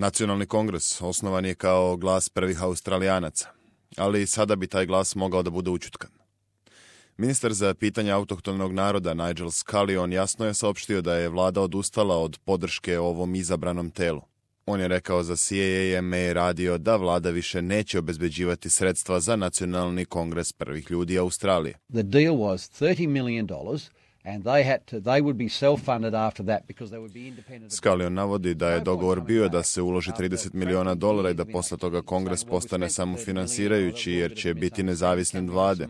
Nacionalni kongres osnovan je kao glas prvih Australijanaca, ali sada bi taj glas mogao da bude ućutkan. Ministar za pitanja autohtonog naroda Nigel Scullion jasno je saopštio da je vlada odustala od podrške ovom izabranom telu. On je rekao za CAAMA radio da vlada više neće obezbeđivati sredstva za Nacionalni kongres prvih ljudi Australije. The deal was $30 million and they would be self-funded after that because they would be independent. Scullion navodi da je dogovor bio da se uloži $30 miliona i da posle toga kongres postane samofinansirajući jer će biti nezavisne vlade.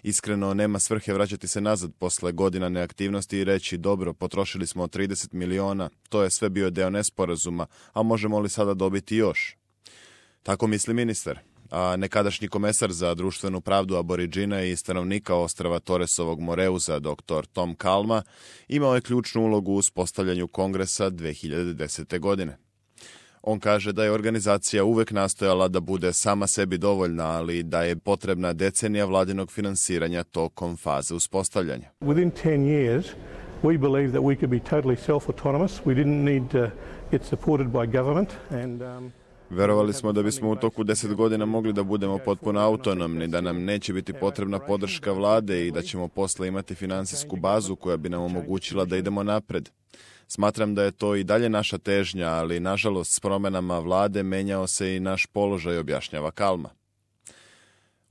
Iskreno, nema svrhe vraćati se nazad posle godina neaktivnosti i reći dobro, potrošili smo 30 miliona, to je sve bio deo nesporazuma, a možemo li sada dobiti još? Tako misli ministar. A nekadašnji komesar za društvenu pravdu Aboriđina i stanovnika ostrva Torresovog Moreuza, dr. Tom Kalma, imao je ključnu ulogu u uspostavljanju kongresa 2010. godine. On kaže da je organizacija uvek nastojala da bude sama sebi dovoljna, ali da je potrebna decenija vladinog finansiranja tokom faze uspostavljanja. Within 10 years, we believe that we could be totally self-autonomous. We didn't need to get supported by government and Verovali smo da bismo u toku 10 godina mogli da budemo potpuno autonomni, da nam neće biti potrebna podrška vlade i da ćemo posle imati finansijsku bazu koja bi nam omogućila da idemo napred. Smatram da je to i dalje naša težnja, ali nažalost s promenama vlade menjao se i naš položaj, objašnjava Kalma.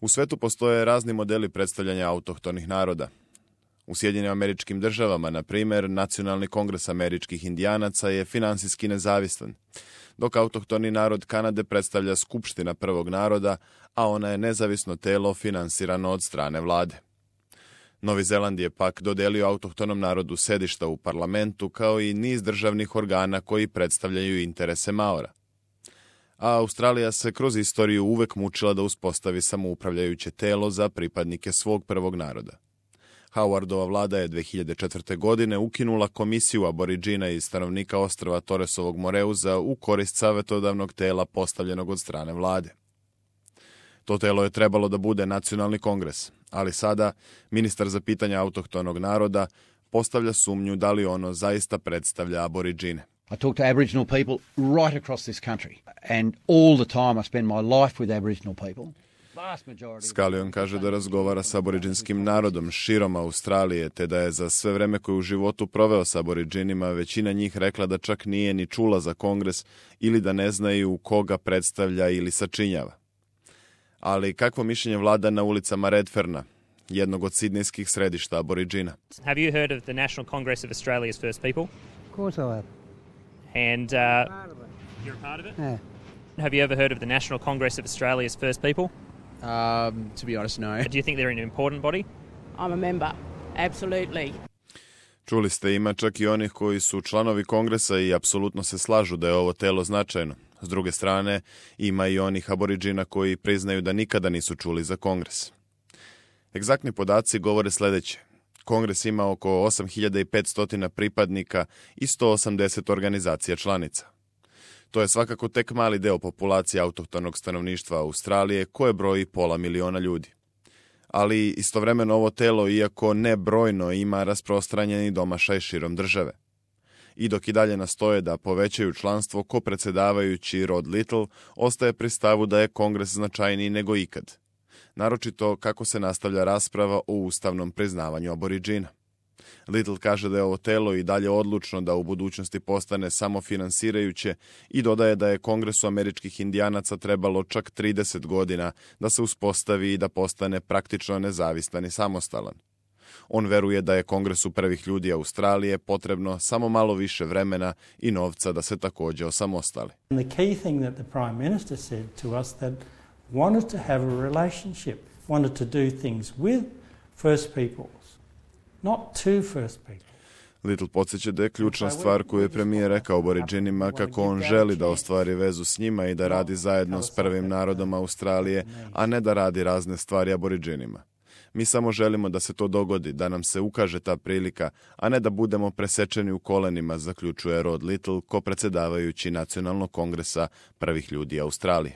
U svetu postoje razni modeli predstavljanja autohtonih naroda. U Sjedinjenim Američkim Državama, na primjer, Nacionalni kongres američkih indijanaca je finansijski nezavistan, dok autohtoni narod Kanade predstavlja Skupština prvog naroda, a ona je nezavisno telo finansirano od strane vlade. Novi Zeland je pak dodelio autohtonom narodu sedišta u parlamentu kao i niz državnih organa koji predstavljaju interese Maora. A Australija se kroz istoriju uvek mučila da uspostavi samoupravljajuće telo za pripadnike svog prvog naroda. Howardova vlada je 2004. godine ukinula komisiju Aboriđina i stanovnika ostrva Torresovog Moreuza u korist savetodavnog tela postavljenog od strane vlade. To telo je trebalo da bude Nacionalni kongres, ali sada ministar za pitanja autohtonog naroda postavlja sumnju da li ono zaista predstavlja Aboriđine. I talk to Aboriginal people right across this country and all the time I spend my life with Aboriginal people. Scullion kaže da razgovara sa aboriđinskim narodom širom Australije, te da je za sve vreme koje u životu proveo sa aboriđinima većina njih rekla da čak nije ni čula za kongres ili da ne znaju koga predstavlja ili sačinjava. Ali kakvo mišljenje vlada na ulicama Redferna, jednog od sidnejskih središta aboriđina? Have you heard of the National Congress of Australia's First People? Of course I have. And you're a part of it? Yeah. Have you ever heard of the National Congress of Australia's First People? To be honest, no. Do you think they're an important body? I'm a member. Absolutely. Čuli ste, ima čak i onih koji su članovi kongresa i apsolutno se slažu da je ovo telo značajno. S druge strane, ima i onih aboriđina koji priznaju da nikada nisu čuli za kongres. Egzaktni podaci govore sledeće. Kongres ima oko 8500 pripadnika i 180 organizacija članica. To je svakako tek mali deo populacije autohtonog stanovništva Australije koje broji 500.000 ljudi. Ali istovremeno ovo telo, iako ne brojno, ima rasprostranjeni domašaj širom države. I dok i dalje nastoje da povećaju članstvo, kopredsedavajući Rod Little ostaje pri stavu da je kongres značajniji nego ikad. Naročito kako se nastavlja rasprava o ustavnom priznavanju aboriđina. Little kaže da je ovo telo i dalje odlučno da u budućnosti postane samofinansirajuće i dodaje da je Kongresu američkih indijanaca trebalo čak 30 godina da se uspostavi i da postane praktično nezavistan i samostalan. On veruje da je Kongresu prvih ljudi Australije potrebno samo malo više vremena i novca da se takođe osamostali. The key thing that the Prime Minister said to us that wanted to have a relationship, wanted to do things with First Peoples, not to First People. Little podsjeća da je ključna stvar koju je premijer rekao aboriđinima kako on želi da ostvari vezu s njima i da radi zajedno s prvim narodom Australije, a ne da radi razne stvari aboriđinima. Mi samo želimo da se to dogodi, da nam se ukaže ta prilika, a ne da budemo presečeni u kolenima, zaključuje Rod Little, kopredsedavajući Nacionalnog kongresa prvih ljudi Australije.